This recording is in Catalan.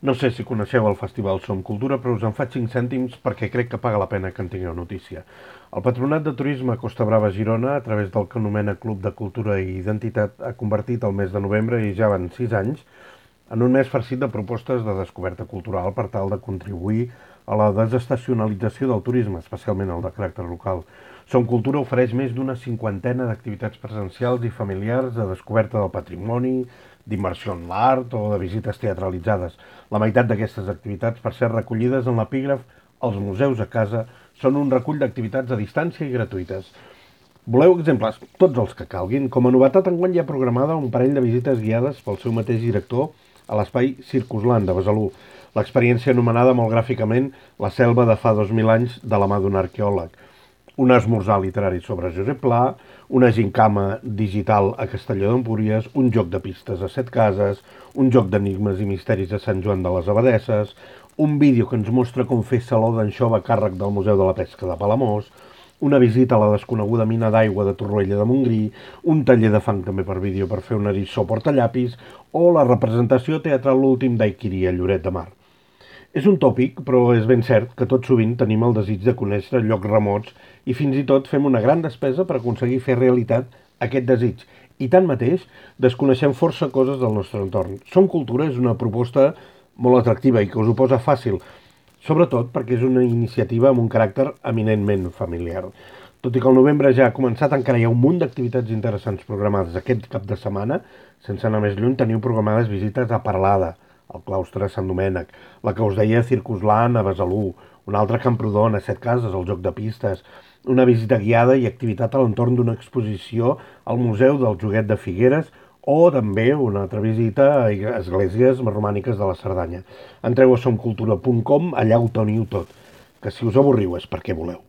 No sé si coneixeu el Festival Som Cultura, però us en faig 5 cèntims perquè crec que paga la pena que en tingueu notícia. El Patronat de Turisme Costa Brava Girona, a través del que anomena Club de Cultura i Identitat, ha convertit el mes de novembre, i ja van 6 anys, en un mes farcit de propostes de descoberta cultural per tal de contribuir a la desestacionalització del turisme, especialment el de caràcter local. Som Cultura ofereix més d'una cinquantena d'activitats presencials i familiars de descoberta del patrimoni, d'immersió en l'art o de visites teatralitzades. La meitat d'aquestes activitats, per ser recollides en l'epígraf Els museus a casa, són un recull d'activitats a distància i gratuïtes. Voleu exemples? Tots els que calguin. Com a novetat, enguany hi ha programada un parell de visites guiades pel seu mateix director a l'espai Circusland de Besalú. L'experiència anomenada molt gràficament La selva de fa 2000 anys de la mà d'un arqueòleg. Un esmorzar literari sobre Josep Pla, una gincama digital a Castelló d'Empúries, un joc de pistes a Setcases, un joc d'enigmes i misteris a Sant Joan de les Abadesses, un vídeo que ens mostra com fer saló d'anxova a càrrec del Museu de la Pesca de Palamós, una visita a la desconeguda mina d'aigua de Torroella de Montgrí, un taller de fang també per vídeo per fer un eriçó portallapis o la representació teatral L'últim d'Aiquiri a Lloret de Mar. És un tòpic, però és ben cert que tot sovint tenim el desig de conèixer llocs remots i fins i tot fem una gran despesa per aconseguir fer realitat aquest desig. I tanmateix, desconeixem força coses del nostre entorn. Som Cultura és una proposta molt atractiva i que us ho posa fàcil, sobretot perquè és una iniciativa amb un caràcter eminentment familiar. Tot i que el novembre ja ha començat, encara hi ha un munt d'activitats interessants programades aquest cap de setmana. Sense anar més lluny, teniu programades visites a Parlada, al claustre de Sant Domènec, la que us deia Circusland a Besalú, una altra a Camprodon, a Setcases, el joc de pistes, una visita guiada i activitat a l'entorn d'una exposició al Museu del Joguet de Figueres o també una altra visita a esglésies romàniques de la Cerdanya. Entreu a somcultura.com, allà ho teniu tot, que si us avorriu és perquè voleu.